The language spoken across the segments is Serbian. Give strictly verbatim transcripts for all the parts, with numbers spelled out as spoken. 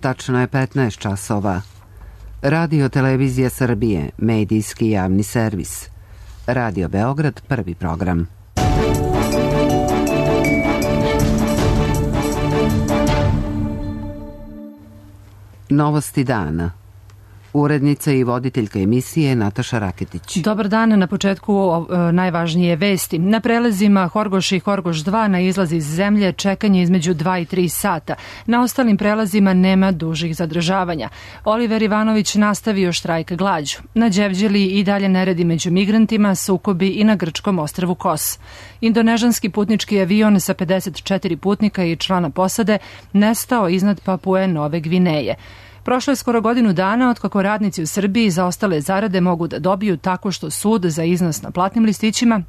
Tačno je petnaest časova. Radio Televizija Srbije, medijski javni servis. Radio Beograd, prvi program. Novosti dana. Urednica i voditeljka emisije Nataša Raketić. Dobar dan, na početku o, o, najvažnije vesti. Na prelazima Horgoš i Horgoš dva na izlaz iz zemlje čekanje između dva i tri sata. Na ostalim prelazima nema dužih zadržavanja. Oliver Ivanović nastavio štrajk glađu. Na Đevđeli i dalje neredi među migrantima, sukobi i na grčkom ostrvu Kos. Indonežanski putnički avion sa pedeset četiri putnika i člana posade nestao iznad Papue Nove Gvineje. Prošlo je skoro godinu dana od kako radnici u Srbiji za ostale zarade mogu da dobiju tako što sud za iznos na platnim listićima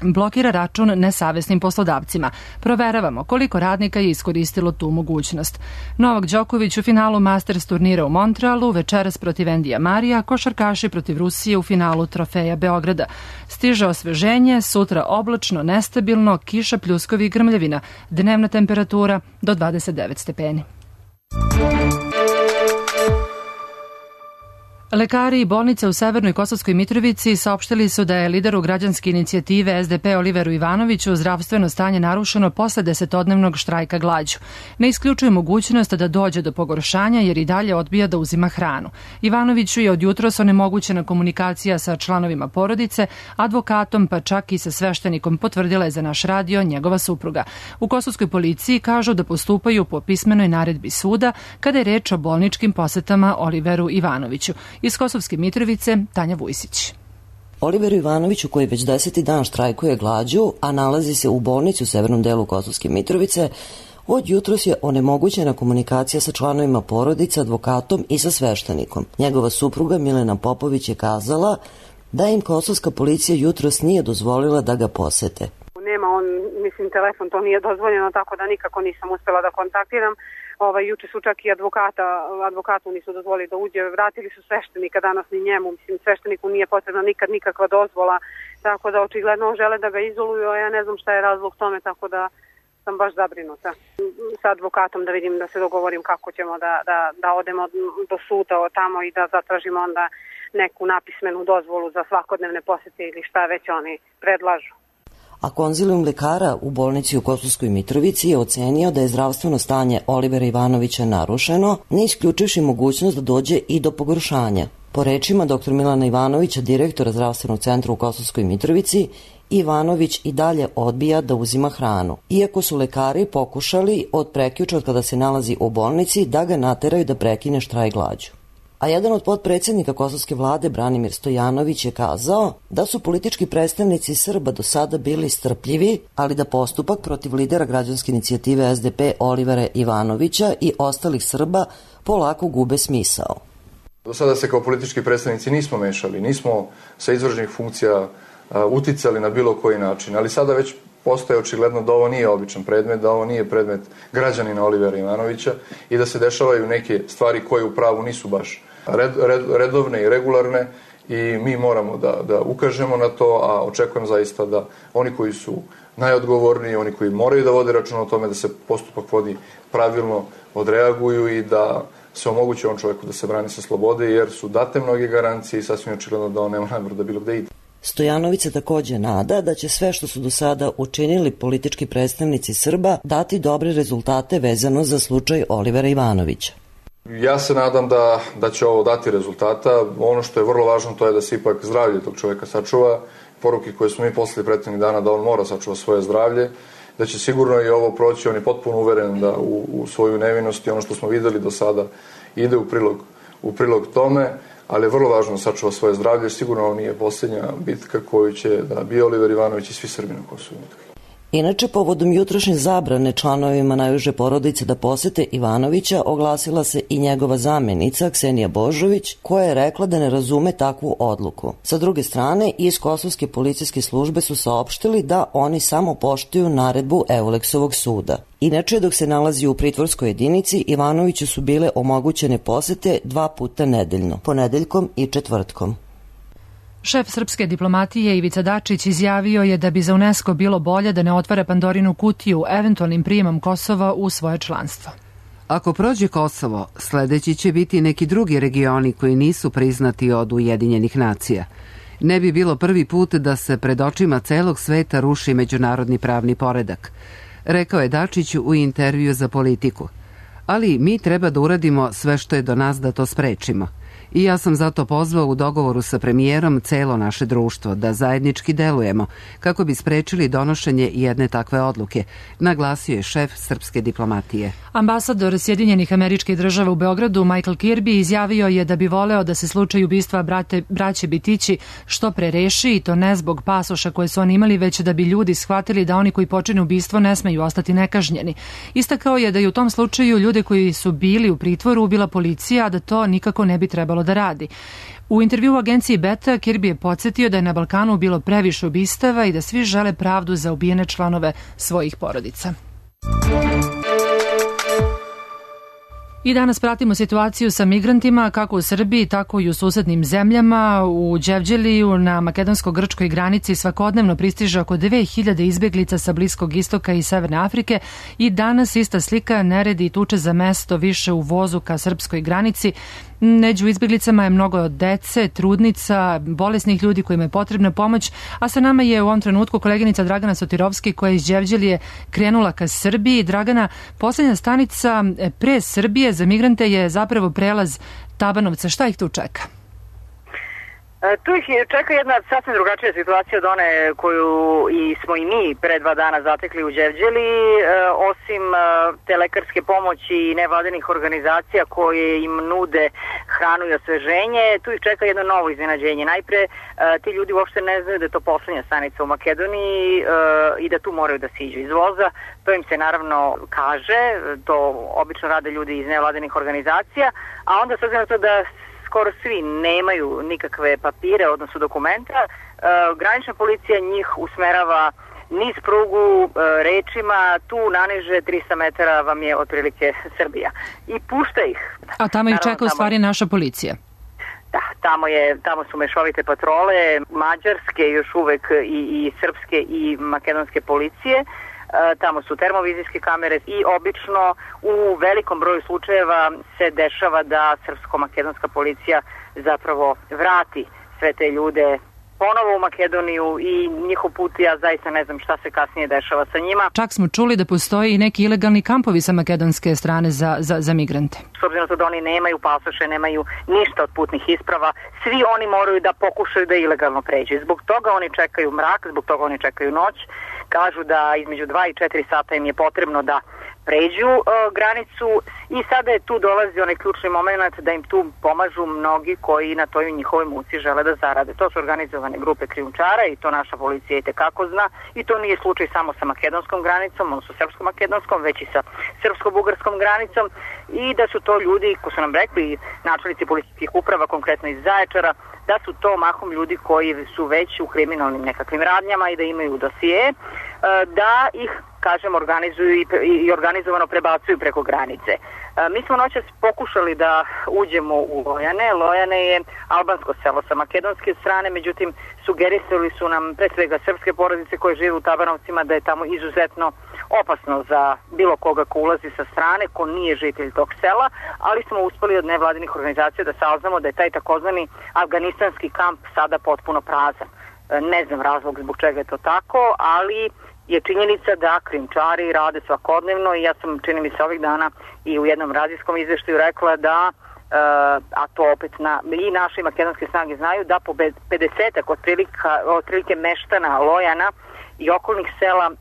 blokira račun nesavesnim poslodavcima. Proveravamo koliko radnika je iskoristilo tu mogućnost. Novak Đoković u finalu Masters turnira u Montrealu, večeras protiv Endija Marija, košarkaši protiv Rusije u finalu Trofeja Beograda. Stiže osveženje, sutra oblačno, nestabilno, kiša, pljuskovi i grmljavina. Dnevna temperatura do dvadeset devet stepeni. Lekari i bolnice u Severnoj Kosovskoj Mitrovici saopštili su da je lideru građanske inicijative S D P Oliveru Ivanoviću zdravstveno stanje narušeno posle desetodnevnog štrajka glađu. Ne isključuje mogućnost da dođe do pogoršanja jer i dalje odbija da uzima hranu. Ivanoviću je od jutros onemogućena komunikacija sa članovima porodice, advokatom pa čak i sa sveštenikom, potvrdila je za naš radio njegova supruga. U kosovskoj policiji kažu da postupaju po pismenoj naredbi suda kada je reč o bolničkim posetama Oliveru Ivanoviću. Iz Kosovske Mitrovice, Tanja Vujsić. Oliveru Ivanoviću, koji već deseti dan štrajkuje glađu, a nalazi se u bolnici u severnom delu Kosovske Mitrovice, od jutros je onemogućena komunikacija sa članovima porodice, advokatom i sa sveštenikom. Njegova supruga Milena Popović je kazala da im kosovska policija jutros nije dozvolila da ga posete. Nema on, mislim, telefon, to nije dozvoljeno, tako da nikako nisam uspela da kontaktiram. Ovaj, juče su čak i advokata, advokatu nisu dozvolili da uđe, vratili su sveštenika, danas ni njemu, mislim, svešteniku nije potrebna nikad nikakva dozvola, tako da očigledno žele da ga izoluju, a ja ne znam šta je razlog tome, tako da sam baš zabrinuta. Sa advokatom da vidim, da se dogovorim kako ćemo da, da, da odemo do suda tamo i da zatražimo onda neku napismenu dozvolu za svakodnevne posete ili šta već oni predlažu. A konzilijum lekara u bolnici u Kosovskoj Mitrovici je ocenio da je zdravstveno stanje Olivera Ivanovića narušeno, ne isključivši mogućnost da dođe i do pogoršanja. Po rečima doktor Milana Ivanovića, direktora zdravstvenog centra u Kosovskoj Mitrovici, Ivanović i dalje odbija da uzima hranu. Iako su lekari pokušali od prekjuče od kada se nalazi u bolnici da ga nateraju da prekine štrajk glađu. A jedan od potpredsjednika kosovske vlade, Branimir Stojanović, je kazao da su politički predstavnici Srba do sada bili strpljivi, ali da postupak protiv lidera građanske inicijative S D P Olivera Ivanovića i ostalih Srba polako gube smisao. Do sada se kao politički predstavnici nismo mešali, nismo sa izvršnih funkcija uticali na bilo koji način, ali sada već postoje očigledno da ovo nije običan predmet, da ovo nije predmet građanina Olivera Ivanovića i da se dešavaju neke stvari koje u pravu nisu baš red, red, redovne i regularne i mi moramo da, da ukažemo na to, a očekujem zaista da oni koji su najodgovorniji, oni koji moraju da vode račun o tome da se postupak vodi pravilno, odreaguju i da se omogući on čoveku da se brani sa slobode, jer su date mnoge garancije i sasvim očigledno da on nema namjeru da bilo gde ide. Stojanović se takođe nada da će sve što su do sada učinili politički predstavnici Srba dati dobre rezultate vezano za slučaj Olivera Ivanovića. Ja se nadam da, da će ovo dati rezultata. Ono što je vrlo važno to je da se ipak zdravlje tog čoveka sačuva. Poruke koje smo mi poslali prethodnih dana da on mora sačuva svoje zdravlje, da će sigurno i ovo proći, on je potpuno uveren da u, u svoju nevinost i ono što smo videli do sada ide u prilog, u prilog tome, ali je vrlo važno da sačuva svoje zdravlje. Sigurno ovo nije posljednja bitka koju će da bije Oliver Ivanović i svi Srbi na Kosovu. Inače, povodom jutrošnje zabrane članovima najuže porodice da posete Ivanovića, oglasila se i njegova zamenica Ksenija Božović, koja je rekla da ne razume takvu odluku. Sa druge strane, iz Kosovske policijske službe su saopštili da oni samo poštuju naredbu Euleksovog suda. Inače, dok se nalazi u pritvorskoj jedinici, Ivanoviću su bile omogućene posete dva puta nedeljno, ponedeljkom i četvrtkom. Šef srpske diplomatije Ivica Dačić izjavio je da bi za UNESCO bilo bolje da ne otvara Pandorinu kutiju eventualnim prijemom Kosova u svoje članstvo. Ako prođe Kosovo, sledeći će biti neki drugi regioni koji nisu priznati od Ujedinjenih nacija. Ne bi bilo prvi put da se pred očima celog sveta ruši međunarodni pravni poredak, rekao je Dačić u intervju za Politiku. Ali mi treba da uradimo sve što je do nas da to sprečimo. I ja sam zato pozvao u dogovoru sa premijerom celo naše društvo da zajednički delujemo kako bi sprečili donošenje jedne takve odluke, naglasio je šef srpske diplomatije. Ambasador Sjedinjenih Američkih Država u Beogradu Michael Kirby izjavio je da bi voleo da se slučaj ubistva brate, braće Bitići što pre reši, i to ne zbog pasoša koje su oni imali, već da bi ljudi shvatili da oni koji počine ubistvo ne smeju ostati nekažnjeni. Istakao je da je u tom slučaju ljude koji su bili u pritvoru ubila policija, a da to nikako ne bi trebalo da radi. U intervju u agenciji Beta, Kirby je podsjetio da je na Balkanu bilo previše ubistava i da svi žele pravdu za ubijene članove svojih porodica. I danas pratimo situaciju sa migrantima kako u Srbiji, tako i u susednim zemljama. U Đevđeliju na makedonsko-grčkoj granici svakodnevno pristiže oko dve hiljade izbeglica sa Bliskog istoka i Severne Afrike i danas ista slika, neredi i tuče za mesto više u vozu ka srpskoj granici. Među izbeglicama je mnogo dece, trudnica, bolesnih ljudi kojima je potrebna pomoć, a sa nama je u ovom trenutku koleginica Dragana Sotirovski koja iz Đevđelije krenula ka Srbiji. Dragana, poslednja stanica pre Srbije za migrante je zapravo prelaz Tabanovca. Šta ih tu čeka? Tu ih čeka jedna sasvim drugačija situacija od one koju i smo i mi pre dva dana zatekli u Đevđeli, osim te lekarske pomoći i nevladinih organizacija koje im nude hranu i osveženje. Tu ih čeka jedno novo iznenađenje. Najpre, ti ljudi uopšte ne znaju da je to poslednja stanica u Makedoniji i da tu moraju da siđu iz voza. To im se naravno kaže, to obično rade ljudi iz nevladinih organizacija, a onda s obzirom na to da skoro svi nemaju nikakve papire, odnosno dokumenta, e, granična policija njih usmerava niz prugu e, rečima, tu naniže tristo metara vam je otprilike Srbija. I pušta ih. A tamo ih čeka u stvari naša policija. Da, tamo, je, tamo su mešovite patrole, mađarske još uvek i, i srpske i makedonske policije. Tamo su termovizijske kamere i obično u velikom broju slučajeva se dešava da srpsko-makedonska policija zapravo vrati sve te ljude ponovo u Makedoniju i njihov put, ja zaista ne znam šta se kasnije dešava sa njima. Čak smo čuli da postoji i neki ilegalni kampovi sa makedonske strane za, za, za migrante. S obzirom da oni nemaju pasoše, nemaju ništa od putnih isprava, svi oni moraju da pokušaju da ilegalno pređu. Zbog toga oni čekaju mrak, zbog toga oni čekaju noć. Kažu da između dva i četiri sata im je potrebno da pređu e, granicu i sada je tu dolazi onaj ključni moment da im tu pomažu mnogi koji na toj njihovoj muci žele da zarade. To su organizovane grupe krijumčara i to naša policija i tekako zna i to nije slučaj samo sa makedonskom granicom, odnosno srpsko-makedonskom, već i sa srpsko-bugarskom granicom i da su to ljudi, ko su nam rekli načelnici policijskih uprava, konkretno iz Zaječara, da su to mahom ljudi koji su već u kriminalnim nekakvim radnjama i da imaju dosije, da ih, kažem, organizuju i organizovano prebacuju preko granice. Mi smo noćas pokušali da uđemo u Lojane. Lojane je albansko selo sa makedonske strane, međutim sugerisali su nam pre svega srpske porodice koje žive u Tabanovcima da je tamo izuzetno opasno za bilo koga ko ulazi sa strane, ko nije žitelj tog sela, ali smo uspeli od nevladinih organizacija da saznamo da je taj takozvani afganistanski kamp sada potpuno prazan. Ne znam razlog zbog čega je to tako, ali je činjenica da krijumčari rade svakodnevno i ja sam, čini mi se, ovih dana i u jednom radijskom izveštaju rekla da, uh, a to opet na, i naše i makedonske snage znaju, da po pedesetak otprilike meštana Lojana i okolnih sela uh,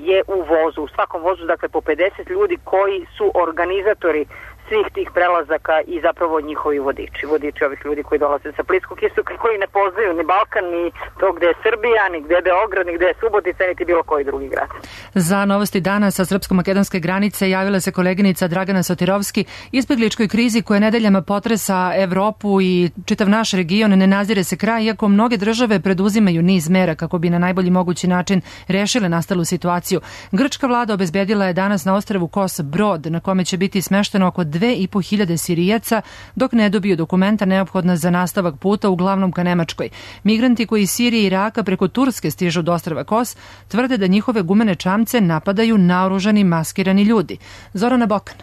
je u vozu, u svakom vozu, dakle po pedeset ljudi koji su organizatori svih tih prelazaka i zapravo njihovi vodiči, vodiči ovih ljudi koji dolaze sa Bliskog istoka, koji ne poznaju ni Balkan, ni to gde je Srbija, ni gde je Beograd, ni gde je Subotica, niti bilo koji drugi grad. Za novosti dana sa srpsko-makedonske granice javila se koleginica Dragana Sotirovski. Izbegličkoj krizi koja nedeljama potresa Evropu i čitav naš region ne nazire se kraj, iako mnoge države preduzimaju niz mera kako bi na najbolji mogući način rešile nastalu situaciju. Grčka vlada obezbedila je danas na ostrvu Kos brod na kome će biti smešteno oko dve i po hiljade Sirijaca dok ne dobiju dokumenta neophodna za nastavak puta uglavnom ka Nemačkoj. Migranti koji iz Sirije i Iraka preko Turske stižu do ostrva Kos tvrde da njihove gumene čamce napadaju naoružani maskirani ljudi. Zorana Bokan.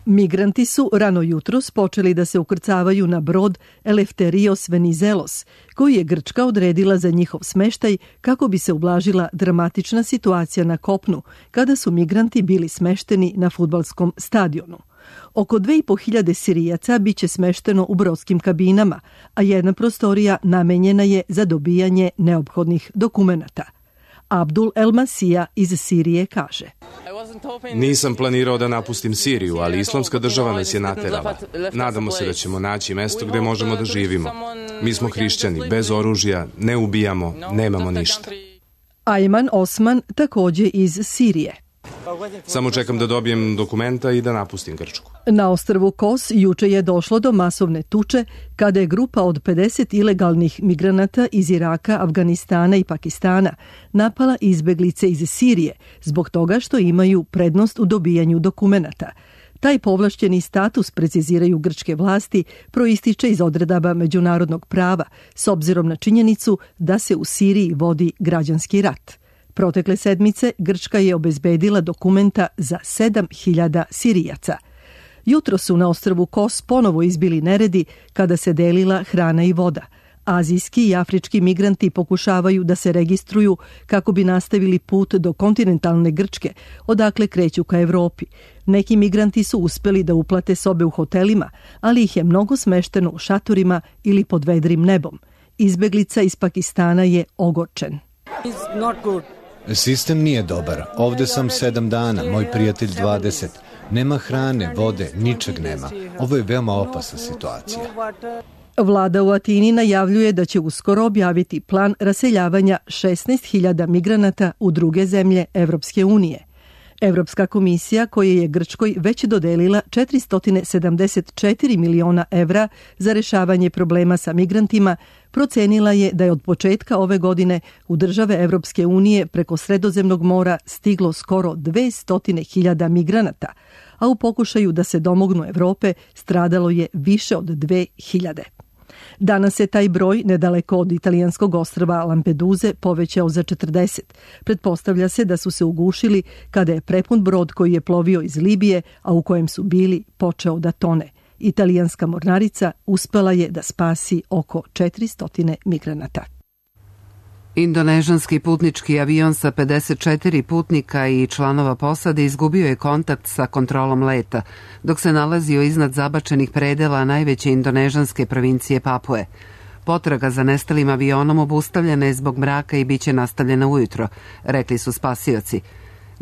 Migranti su rano jutros počeli da se ukrcavaju na brod Eleftherios Venizelos, koji je Grčka odredila za njihov smeštaj kako bi se ublažila dramatična situacija na kopnu, kada su migranti bili smešteni na fudbalskom stadionu. Oko dve i po hiljade Sirijaca biće smešteno u brodskim kabinama, a jedna prostorija namenjena je za dobijanje neophodnih dokumenata. Abdul El Masija iz Sirije kaže: Nisam planirao da napustim Siriju, ali islamska država nas je naterala. Nadamo se da ćemo naći mesto gde možemo da živimo. Mi smo hrišćani, bez oružja, ne ubijamo, nemamo ništa. Ajman Osman takođe iz Sirije. Samo čekam da dobijem dokumenta i da napustim Grčku. Na ostrvu Kos juče je došlo do masovne tuče kada je grupa od pedeset ilegalnih migranata iz Iraka, Afganistana i Pakistana napala izbeglice iz Sirije zbog toga što imaju prednost u dobijanju dokumenata. Taj povlašćeni status, preciziraju grčke vlasti, proističe iz odredaba međunarodnog prava s obzirom na činjenicu da se u Siriji vodi građanski rat. Protekle sedmice Grčka je obezbedila dokumenta za sedam hiljada Sirijaca. Jutro su na ostrvu Kos ponovo izbili neredi kada se delila hrana i voda. Azijski i afrički migranti pokušavaju da se registruju kako bi nastavili put do kontinentalne Grčke, odakle kreću ka Evropi. Neki migranti su uspeli da uplate sobe u hotelima, ali ih je mnogo smešteno u šatorima ili pod vedrim nebom. Izbeglica iz Pakistana je ogorčen. Sistem nije dobar. Ovde sam sedam dana, moj prijatelj dvadeset. Nema hrane, vode, ničeg nema. Ovo je veoma opasna situacija. Vlada u Atini najavljuje da će uskoro objaviti plan raseljavanja šesnaest hiljada migranata u druge zemlje Evropske unije. Evropska komisija, koja je Grčkoj već dodelila četiristo sedamdeset četiri miliona evra za rešavanje problema sa migrantima, procenila je da je od početka ove godine u države Evropske unije preko Sredozemnog mora stiglo skoro dvesta hiljada migranata, a u pokušaju da se domognu Evrope stradalo je više od dve hiljade. Danas se taj broj nedaleko od italijanskog ostrva Lampeduze povećao za četrdeset. Pretpostavlja se da su se ugušili kada je prepun brod koji je plovio iz Libije, a u kojem su bili, počeo da tone. Italijanska mornarica uspela je da spasi oko četiristo migranata. Indonežanski putnički avion sa pedeset četiri putnika i članova posade izgubio je kontakt sa kontrolom leta, dok se nalazio iznad zabačenih predela najveće indonežanske provincije Papue. Potraga za nestalim avionom obustavljena je zbog mraka i biće nastavljena ujutro, rekli su spasioci.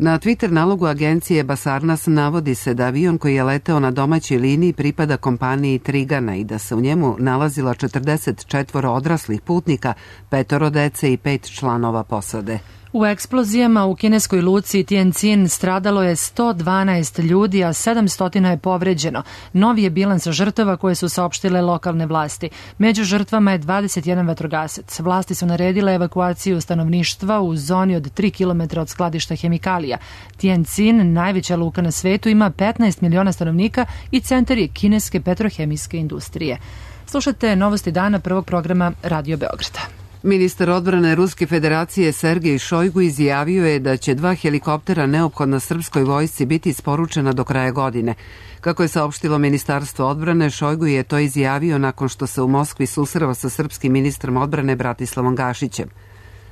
Na Twitter nalogu agencije Basarnas navodi se da avion koji je leteo na domaćoj liniji pripada kompaniji Trigana i da se u njemu nalazilo četrdeset četiri odraslih putnika, petoro dece i pet članova posade. U eksplozijama u kineskoj luci Tianjin stradalo je sto dvanaest ljudi, a sedamsto je povređeno. Novi je bilans žrtava koje su saopštile lokalne vlasti. Među žrtvama je dvadeset jedan vatrogasac. Vlasti su naredile evakuaciju stanovništva u zoni od tri kilometra od skladišta hemikalija. Tianjin, najveća luka na svetu, ima petnaest miliona stanovnika i centar je kineske petrohemijske industrije. Slušate Novosti dana prvog programa Radio Beograda. Ministar odbrane Ruske federacije Sergej Šojgu izjavio je da će dva helikoptera neophodna srpskoj vojsci biti isporučena do kraja godine. Kako je saopštilo Ministarstvo odbrane, Šojgu je to izjavio nakon što se u Moskvi susreo sa srpskim ministrom odbrane Bratislavom Gašićem.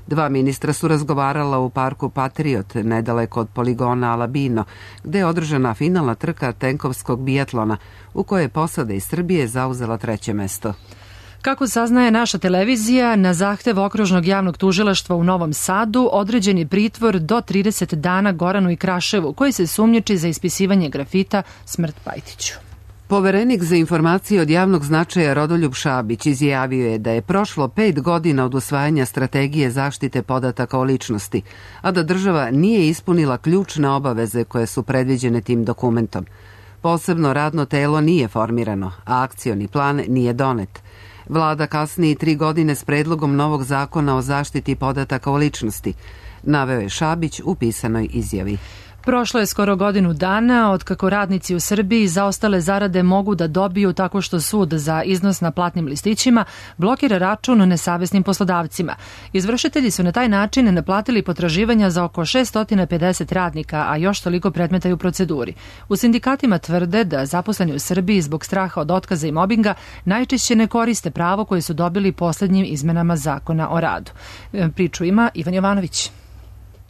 Dva ministra su razgovarala u parku Patriot, nedaleko od poligona Alabino, gde je održana finalna trka tenkovskog bijatlona, u kojoj je posada iz Srbije zauzela treće mesto. Kako saznaje naša televizija, na zahtev Okružnog javnog tužilaštva u Novom Sadu određen je pritvor do trideset dana Goranu i Kraševu, koji se sumnjiči za ispisivanje grafita Smrt Pajtiću. Poverenik za informacije od javnog značaja Rodoljub Šabić izjavio je da je prošlo pet godina od usvajanja strategije zaštite podataka o ličnosti, a da država nije ispunila ključne obaveze koje su predviđene tim dokumentom. Posebno radno telo nije formirano, a akcioni plan nije donet. Vlada kasni tri godine s predlogom novog zakona o zaštiti podataka o ličnosti, naveo je Šabić u pisanoj izjavi. Prošlo je skoro godinu dana od kako radnici u Srbiji zaostale zarade mogu da dobiju tako što sud za iznos na platnim listićima blokira račun nesavesnim poslodavcima. Izvršitelji su na taj način naplatili potraživanja za oko šessto pedeset radnika, a još toliko predmeta je u proceduri. U sindikatima tvrde da zaposleni u Srbiji zbog straha od otkaza i mobinga najčešće ne koriste pravo koje su dobili poslednjim izmenama zakona o radu. Priču ima Ivan Jovanović.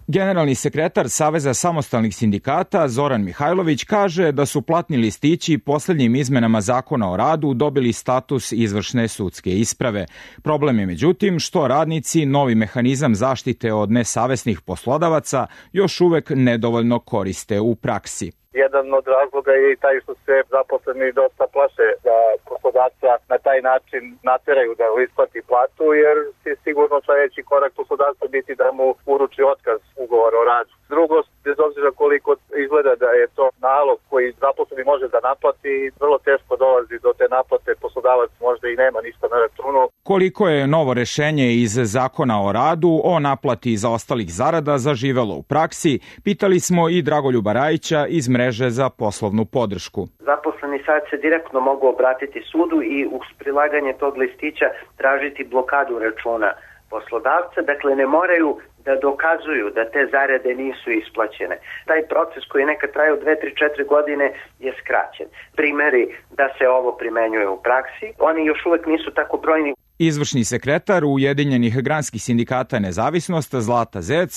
Generalni sekretar Saveza samostalnih sindikata Zoran Mihajlović kaže da su platni listići poslednjim izmenama zakona o radu dobili status izvršne sudske isprave. Problem je međutim što radnici novi mehanizam zaštite od nesavesnih poslodavaca još uvek nedovoljno koriste u praksi. Jedan od razloga je i taj što se zaposleni dosta plaše da poslodavca na taj način nateraju da isplati platu, jer je sigurno sledeći korak poslodavca biti da mu uruči otkaz ugovora o radu. Drugo, bez obzira koliko izgleda da je to nalog koji zaposleni može da naplati, vrlo teško dolazi do te naplate, poslodavac možda i nema ništa na računu. Koliko je novo rešenje iz zakona o radu o naplati zaostalih zarada zaživelo u praksi, pitali smo i Dragoljuba Rajića iz mreže za poslovnu podršku. Zaposleni sad se direktno mogu obratiti sudu i uz prilaganje tog listića tražiti blokadu računa poslodavca, dakle ne moraju da dokazuju da te zarade nisu isplaćene. Taj proces koji nekad traje u dve, tri, četiri godine je skraćen. Primeri da se ovo primenjuje u praksi, oni još uvek nisu tako brojni. Izvršni sekretar Ujedinjenih granskih sindikata Nezavisnost Zlata Zec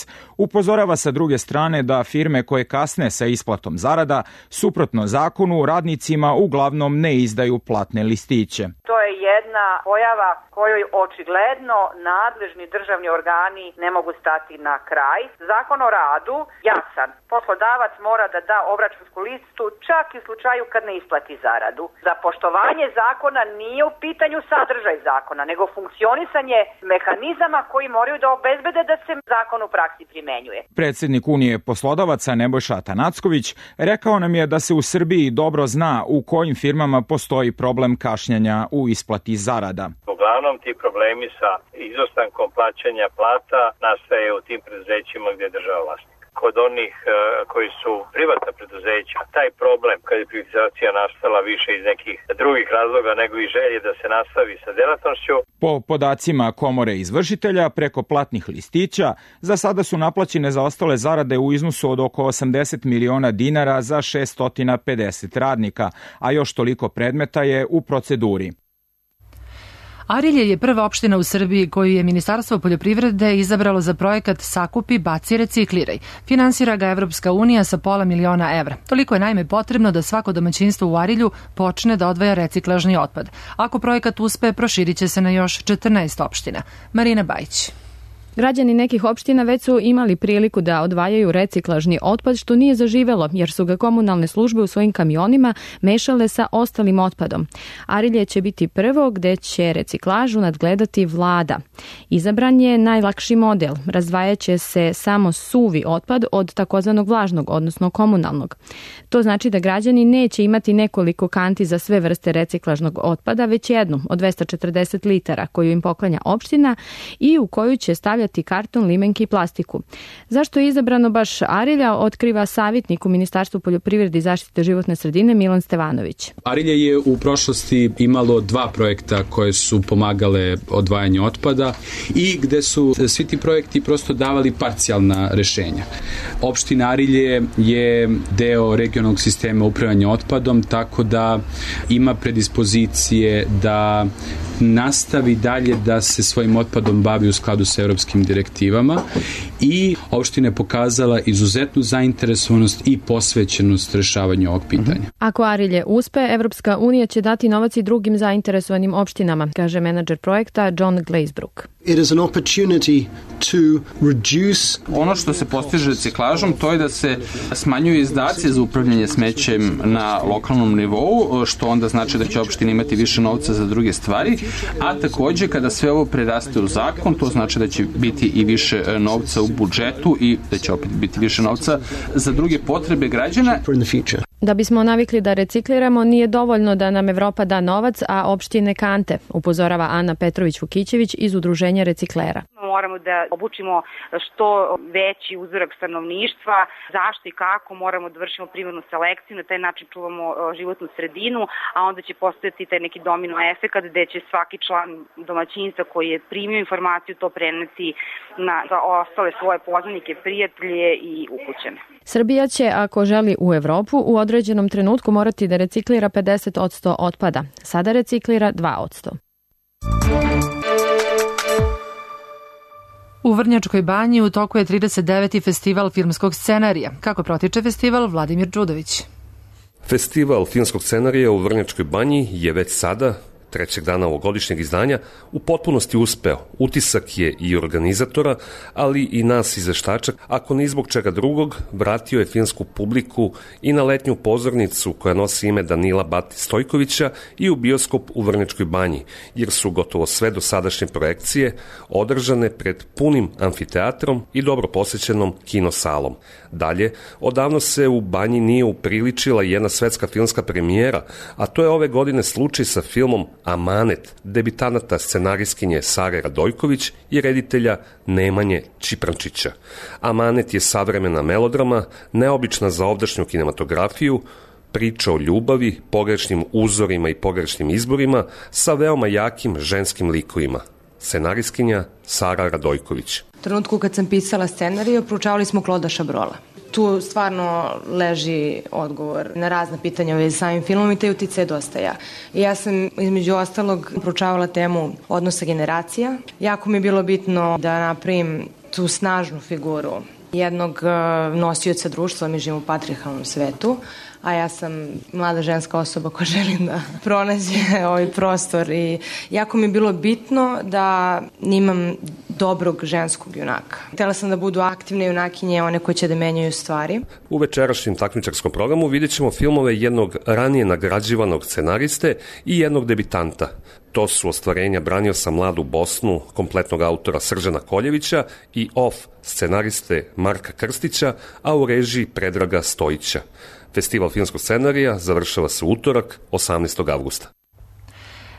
upozorava sa druge strane da firme koje kasne sa isplatom zarada suprotno zakonu radnicima uglavnom ne izdaju platne listiće. To je jedna pojava kojoj očigledno nadležni državni organi ne mogu stati na kraj. Zakon o radu jasan. Poslodavac mora da da obračunsku listu čak i u slučaju kad ne isplati zaradu. Za poštovanje zakona nije u pitanju sadržaj zakona, nego funkcionisanje mehanizama koji moraju da obezbede da se zakon u praksi primenjuje. Predsednik Unije poslodavaca Nebojša Atanacković rekao nam je da se u Srbiji dobro zna u kojim firmama postoji problem kašnjenja u isplati zarada. Uglavnom ti problemi sa izostankom plaćanja plata nastaje u tim preduzećima gdje je država vlasnik. Kod onih uh, koji su privatna preduzeća, taj problem kad je privatizacija nastala više iz nekih drugih razloga nego i želje da se nastavi sa delatnošću. Po podacima Komore izvršitelja, preko platnih listića, za sada su naplaćene zaostale zarade u iznosu od oko osamdeset miliona dinara za šeststo pedeset radnika, a još toliko predmeta je u proceduri. Arilje je prva opština u Srbiji koju je Ministarstvo poljoprivrede izabralo za projekat Sakupi, baci, recikliraj. Finansira ga Evropska unija sa pola miliona evra. Toliko je naime potrebno da svako domaćinstvo u Arilju počne da odvaja reciklažni otpad. Ako projekat uspe, proširit će se na još četrnaest opština. Marina Bajić. Građani nekih opština već su imali priliku da odvajaju reciklažni otpad, što nije zaživelo, jer su ga komunalne službe u svojim kamionima mešale sa ostalim otpadom. Arilje će biti prvo gde će reciklažu nadgledati vlada. Izabran je najlakši model. Razdvajaće se samo suvi otpad od takozvanog vlažnog, odnosno komunalnog. To znači da građani neće imati nekoliko kanti za sve vrste reciklažnog otpada, već jednu od dvesta četrdeset litara koju im poklanja opština i u koju će stavljati karton, limenke i plastiku. Zašto je izabrano baš Arilja, otkriva savjetnik u Ministarstvu poljoprivrede i zaštite životne sredine Milan Stevanović. Arilje je u prošlosti imalo dva projekta koje su pomagale odvajanju otpada i gde su svi ti projekti prosto davali parcijalna rešenja. Opština Arilje je deo regionalnog sistema upravljanja otpadom, tako da ima predispozicije da nastavi dalje da se svojim otpadom bavi u skladu sa evropskim direktivama i opština je pokazala izuzetnu zainteresovanost i posvećenost rešavanju ovog pitanja. Ako Arilje uspe, Evropska unija će dati novac i drugim zainteresovanim opštinama, kaže menadžer projekta John Glazebrook. It is an opportunity to reduce... Ono što se postiže reciklažom, to je da se smanjuju izdaci za upravljanje smećem na lokalnom nivou, što onda znači da će opština imati više novca za druge stvari, a takođe kada sve ovo preraste u zakon, to znači da će biti i više novca u budžetu i da će opet biti više novca za druge potrebe građana. Da bismo navikli da recikliramo, nije dovoljno da nam Evropa da novac, a opštine kante, upozorava Ana Petrović-Vukićević iz Udruženja reciklera. moramo da obučimo što veći uzorak stanovništva, zašto i kako moramo da vršimo primarnu selekciju, na taj način čuvamo životnu sredinu, a onda će postojati taj neki domino efekat gde će svaki član domaćinstva koji je primio informaciju to preneti na ostale svoje poznanike, prijatelje i ukućane. Srbija će, ako želi u Evropu, u određenom trenutku morati da reciklira pedeset posto otpada. Sada reciklira dva posto. U Vrnjačkoj banji u toku je trideset deveti festival filmskog scenarija. Kako protiče festival, Vladimir Đudović. Festival filmskog scenarija u Vrnjačkoj banji je već sada, trećeg dana ovogodišnjeg izdanja, u potpunosti uspeo. Utisak je i organizatora, ali i nas izveštača, ako ni zbog čega drugog, vratio je filmsku publiku i na letnju pozornicu koja nosi ime Danila Bati Stojkovića i u bioskop u Vrnjačkoj banji, jer su gotovo sve dosadašnje projekcije održane pred punim amfiteatrom i dobro posećenom kinosalom. Dalje, odavno se u banji nije upriličila jedna svetska filmska premijera, a to je ove godine slučaj sa filmom Amanet, debitanata scenarijskinje Sare Radojković i reditelja Nemanje Čiprančića. Amanet je savremena melodrama, neobična za ovdašnju kinematografiju, priča o ljubavi, pogrešnim uzorima i pogrešnim izborima sa veoma jakim ženskim likovima. Scenarijskinja Sara Radojković. U trenutku kad sam pisala scenariju, proučavali smo Kloda Šabrola. Tu stvarno leži odgovor na razna pitanja u vezi samim filmom i taj uticaj dosta ja. I ja sam između ostalog proučavala temu odnosa generacija. Jako mi je bilo bitno da napravim tu snažnu figuru jednog nosioca društva, mi živimo u patrijarhalnom svetu, a ja sam mlada ženska osoba koja želim da pronađe ovaj prostor i jako mi je bilo bitno da imam dobrog ženskog junaka. Htela sam da budu aktivne junakinje, one koje će da menjaju stvari. U večerašnjem takmičarskom programu vidjet ćemo filmove jednog ranije nagrađivanog scenariste i jednog debitanta. To su ostvarenja Branio sam mladu Bosnu, kompletnog autora Sržana Koljevića i Off scenariste Marka Krstića, a u režiji Predraga Stojića. Festival filmskog scenarija završava se utorak, osamnaestog avgusta.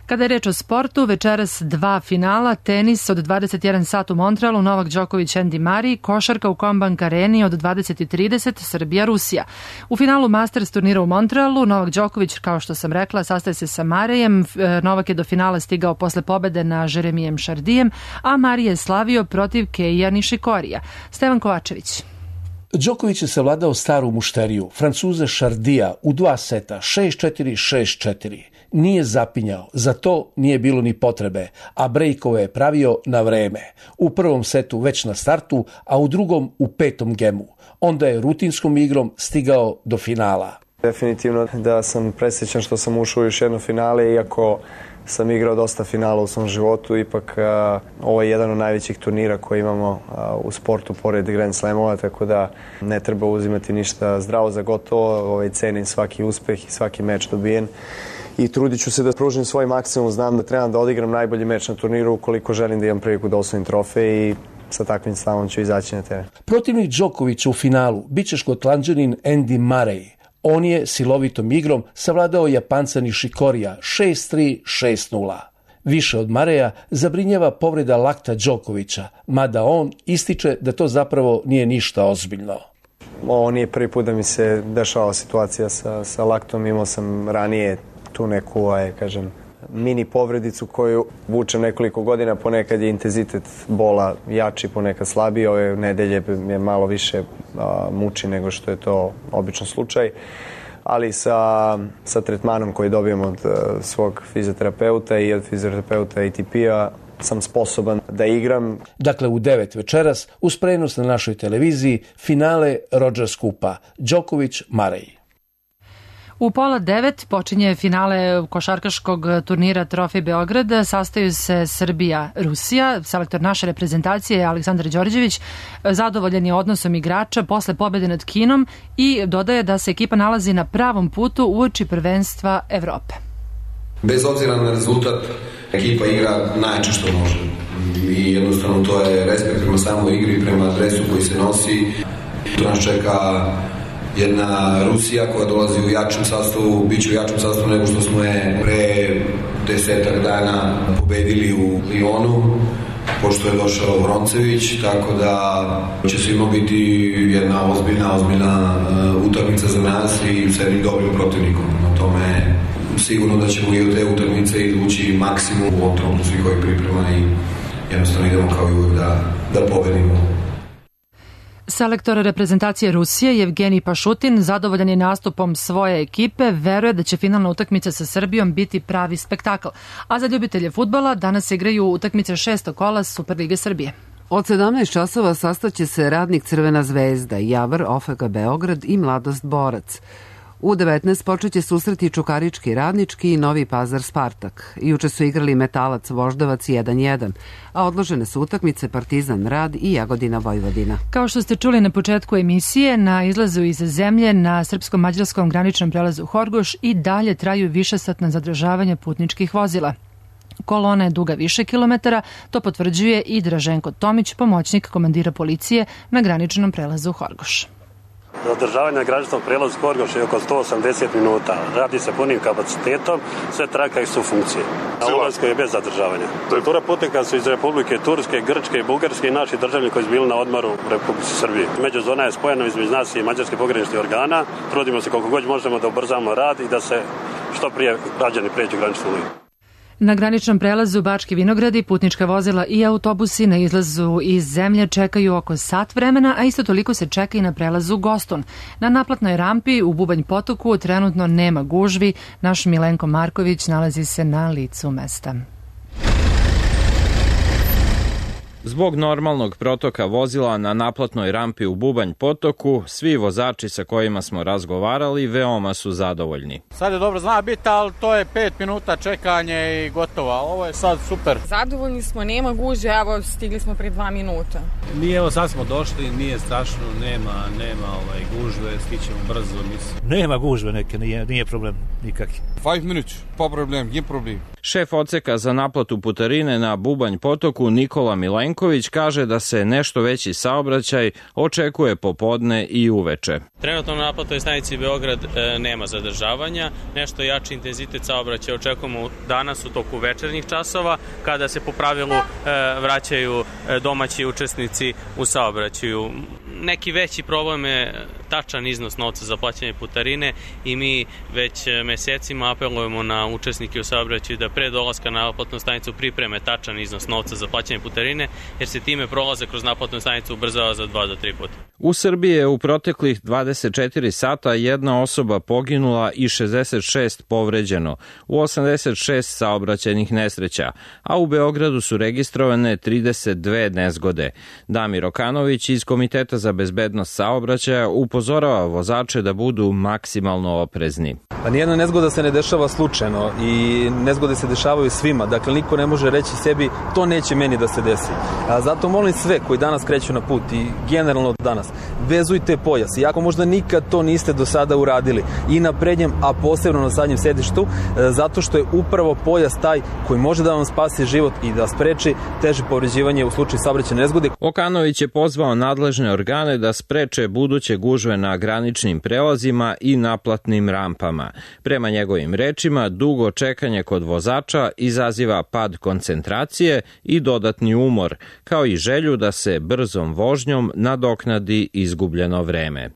Kada je reč o sportu, večeras dva finala, tenis od dvadeset jedan sat u Montrealu, Novak Đoković, Andy Murray, košarka u Combank Areni od dvadeset trideset, Srbija, Rusija. U finalu Masters turnira u Montrealu, Novak Đoković, kao što sam rekla, sastaje se sa Marejem. Novak je do finala stigao posle pobede na Jeremijem Šardijem, a Murray je slavio protiv Keija Nišikorija. Stevan Kovačević. Đoković je savladao staru mušteriju, Francuza Šardija, u dva seta, šest četiri šest četiri. Nije zapinjao, za to nije bilo ni potrebe, a brejkove je pravio na vreme. U prvom setu već na startu, a u drugom u petom gemu. Onda je rutinskom igrom stigao do finala. Definitivno da sam presrećan što sam ušao u još jedno finale, iako sam igrao dosta finala u svom životu, ipak a, ovo je jedan od najvećih turnira koji imamo a, u sportu pored Grand Slamova, tako da ne treba uzimati ništa zdravo za gotovo, ovaj, cenim svaki uspeh i svaki meč dobijen i trudit ću se da pružim svoj maksimum, znam da trebam da odigram najbolji meč na turniru ukoliko želim da imam priliku da osvojim trofej i sa takvim stavom ću izaći na teren. Protivnik Đokovića u finalu biće Škotlanđanin Andy Murray. On je silovitom igrom savladao Japanca Nišikorija šest tri šest nula. Više od Mareja zabrinjava povreda lakta Đokovića, mada on ističe da to zapravo nije ništa ozbiljno. Ovo nije prvi put da mi se dešava situacija sa, sa laktom, imao sam ranije tu neku, aj, kažem, mini povredicu koju vučem nekoliko godina, ponekad je intenzitet bola jači, ponekad slabiji, ove nedelje je malo više a, muči nego što je to obično slučaj, ali sa, sa tretmanom koji dobijem od a, svog fizioterapeuta i od fizioterapeuta A T P-a sam sposoban da igram. Dakle, u devet večeras, uz prenos na našoj televiziji, finale Rogers Kupa, Đoković-Murray. U pola devet počinje finale košarkaškog turnira Trofej Beograd. Sastaju se Srbija-Rusija. Selektor naše reprezentacije Aleksandar Đorđević zadovoljan je odnosom igrača posle pobede nad Kinom i dodaje da se ekipa nalazi na pravom putu uoči prvenstva Evrope. Bez obzira na rezultat, ekipa igra najjače što može. I jednostavno to je respekt prema samoj igri, prema dresu koji se nosi. To nas čeka jedna Rusija koja dolazi u jačem sastavu, bit će u jačem sastavu nego što smo je pre desetak dana pobedili u Lionu. pošto je došao Vroncević, tako da će svima biti jedna ozbiljna, ozbiljna uh, utakmica za nas i sa jednim dobrim protivnikom. Na tome sigurno da ćemo i od te utakmice izvući maksimum u ovom trenutku svih ovih priprema i jednostavno idemo kao i uvijek da, da pobedimo. Selektor reprezentacije Rusije Jevgenij Pašutin zadovoljan je nastupom svoje ekipe, veruje da će finalna utakmica sa Srbijom biti pravi spektakl. A za ljubitelje fudbala danas igraju utakmice šestog kola Superlige Srbije. Od sedamnaest časova sastaće se Radnik Crvena zvezda, Javor O F K Beograd i Mladost Borac. U devetnaest počeće susreti Čukarički Radnički i Novi Pazar Spartak. Juče su igrali Metalac Voždovac jedan jedan, a odložene su utakmice Partizan Rad i Jagodina Vojvodina. Kao što ste čuli na početku emisije, na izlazu iz zemlje na srpsko-mađarskom graničnom prelazu Horgoš i dalje traju višesatna zadržavanja putničkih vozila. Kolona je duga više kilometara, to potvrđuje i Draženko Tomić, pomoćnik komandira policije na graničnom prelazu Horgoš. Zadržavanje na graničnom prelazu Horgoš je oko sto osamdeset minuta. Radi se punim kapacitetom, sve traka su funkcije. Na ulazku je bez zadržavanja. Struktura putnika su iz Republike Turske, Grčke i Bugarske i naši državljani koji su bili na odmoru u Republici Srbiji. Međuzona je spojena između nas i mađarskih pograničnih organa. Trudimo se koliko god možemo da ubrzamo rad i da se što prije građani pređu graničnu liniju. Na graničnom prelazu Bački Vinogradi putnička vozila i autobusi na izlazu iz zemlje čekaju oko sat vremena, a isto toliko se čeka i na prelazu Goston. Na naplatnoj rampi u Bubanj potoku trenutno nema gužvi. Naš Milenko Marković nalazi se na licu mesta. Zbog normalnog protoka vozila na naplatnoj rampi u Bubanj potoku, svi vozači sa kojima smo razgovarali veoma su zadovoljni. Sad je dobro zna biti, ali to je pet minuta čekanje i gotovo. Ovo je sad super. Zadovoljni smo, nema gužve, evo stigli smo pre dva minuta. Mi evo sad smo došli, nije strašno, nema, nema ovaj, gužve, stićemo brzo. Mislim. Nema gužve neke, nije, nije problem nikakvi. Five minutes, pa problem, je problem. Šef odseka za naplatu putarine na Bubanj potoku Nikola Milenković kaže da se nešto veći saobraćaj očekuje popodne i uveče. Trenutno na naplatnoj stanici Beograd e, nema zadržavanja, nešto jači intenzitet saobraćaja očekujemo danas u toku večernjih časova kada se po pravilu e, vraćaju e, domaći učesnici u saobraćaju. Neki veći problem je tačan iznos novca za plaćanje putarine i mi već mesecima apelujemo na učesnike u saobraćaju da pre dolaska na naplatnu stanicu pripreme tačan iznos novca za plaćanje putarine, jer se time prolazak kroz naplatnu stanicu ubrzava za dva do tri puta. U Srbiji je u proteklih dvadeset četiri sata jedna osoba poginula i šezdeset šest povređeno u osamdeset šest saobraćajnih nesreća, a u Beogradu su registrovane trideset dve nezgode. Damir Okanović iz Komiteta za bezbednost saobraćaja upozorava vozače da budu maksimalno oprezni. Pa nijedna nezgoda se ne dešava slučajno i nezgode se dešavaju svima, dakle niko ne može reći sebi to neće meni da se desi. A zato molim sve koji danas kreću na put i generalno danas, vezujte pojas, iako možda nikad to niste do sada uradili i na prednjem, a posebno na zadnjem sedištu, zato što je upravo pojas taj koji može da vam spasi život i da spreči teže povređivanje u slučaju saobraćajne nezgode. Okanović je pozvao nadležne organe da spreče buduće gužve na graničnim prelazima i naplatnim rampama. Prema njegovim rečima, dugo čekanje kod vozača izaziva pad koncentracije i dodatni umor, kao i želju da se brzom vožnjom nadoknadi izgubljeno vreme.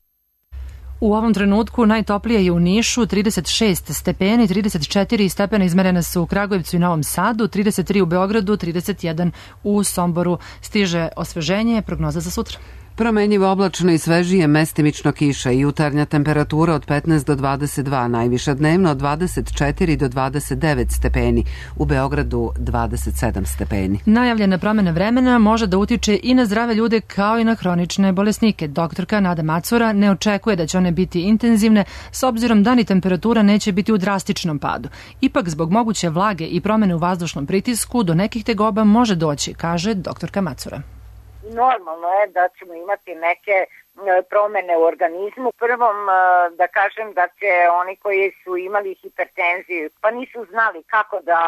U ovom trenutku najtoplije je u Nišu, trideset šest stepeni, trideset četiri stepena izmerene su u Kragujevcu i Novom Sadu, trideset tri u Beogradu, trideset jedan u Somboru. Stiže osveženje, prognoza za sutra. Promenjivo oblačno i svežije, mestimično kiša i jutarnja temperatura od petnaest do dvadeset dva, najviša dnevno od dvadeset četiri do dvadeset devet stepeni, u Beogradu dvadeset sedam stepeni. Najavljena promjena vremena može da utiče i na zdrave ljude kao i na hronične bolesnike. Doktorka Nada Macura ne očekuje da će one biti intenzivne s obzirom da ni temperatura neće biti u drastičnom padu. Ipak zbog moguće vlage i promjene u vazdušnom pritisku do nekih tegoba može doći, kaže doktorka Macura. Normalno je da ćemo imati neke promene u organizmu. Prvom da kažem da će oni koji su imali hipertenziju pa nisu znali kako da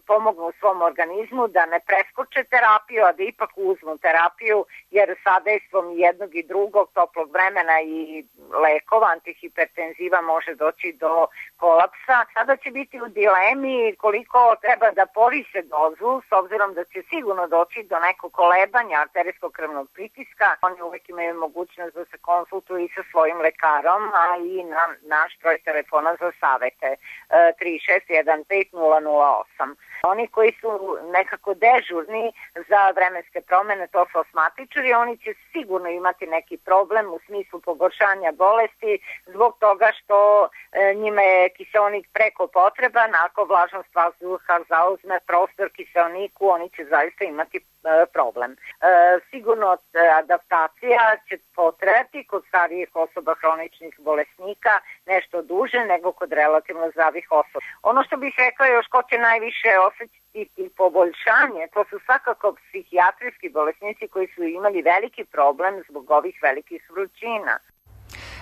pomognu svom organizmu, da ne preskoče terapiju, a da ipak uzmu terapiju, jer sadejstvom jednog i drugog toplog vremena i lekova, antihipertenziva može doći do kolapsa. Sada će biti u dilemi koliko treba da povise dozu, s obzirom da će sigurno doći do nekog kolebanja arterijskog krvnog pritiska. Oni uvek imaju mogućnost da se konsultuju i sa svojim lekarom, a i na naš broj telefona za savete tri šest jedan pet nula nula osam. Oni koji su nekako dežurni za vremenske promene, to su asmatičari, oni će sigurno imati neki problem u smislu pogoršanja bolesti zbog toga što e, njima je kiseonik preko potreban. Ako vlažnost vazduha zauzme prostor kiseoniku, oni će zaista imati e, problem. E, sigurno adaptacija će potrajati kod starijih osoba hroničnih bolesnika nešto duže nego kod relativno zdravih osoba. Ono što bih rekla još ko će najviše osjetiti i poboljšanje, to su svakako psihijatrijski bolesnici koji su imali veliki problem zbog ovih velikih vrućina.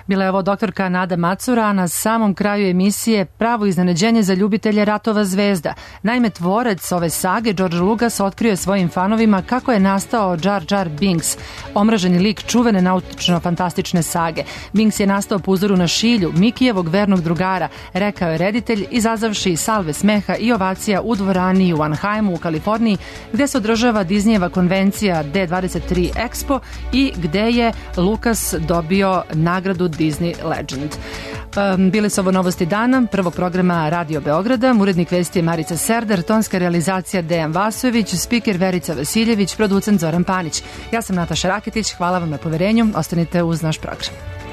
Bila je ovo doktorka Nada Macura, a na samom kraju emisije pravo iznenađenje za ljubitelje ratova zvezda. Naime, tvorec ove sage, George Lucas, otkrio je svojim fanovima kako je nastao Jar Jar Binks, omraženi lik čuvene nautično-fantastične sage. Binks je nastao po uzoru na šilju, Mikijevog vernog drugara, rekao je reditelj, izazavši salve smeha i ovacija u dvorani u Anaheimu u Kaliforniji, gde se održava Disneyjeva konvencija D dvadeset tri Expo i gde je Lucas dobio nagradu Disney Legend. Um, bile su ovo novosti dana, prvog programa Radio Beograda, urednik vesti je Marica Serdar, tonska realizacija Dejan Vasojević, spiker Verica Vasiljević, producent Zoran Panić. Ja sam Nataša Raketić, hvala vam na poverenju, ostanite uz naš program.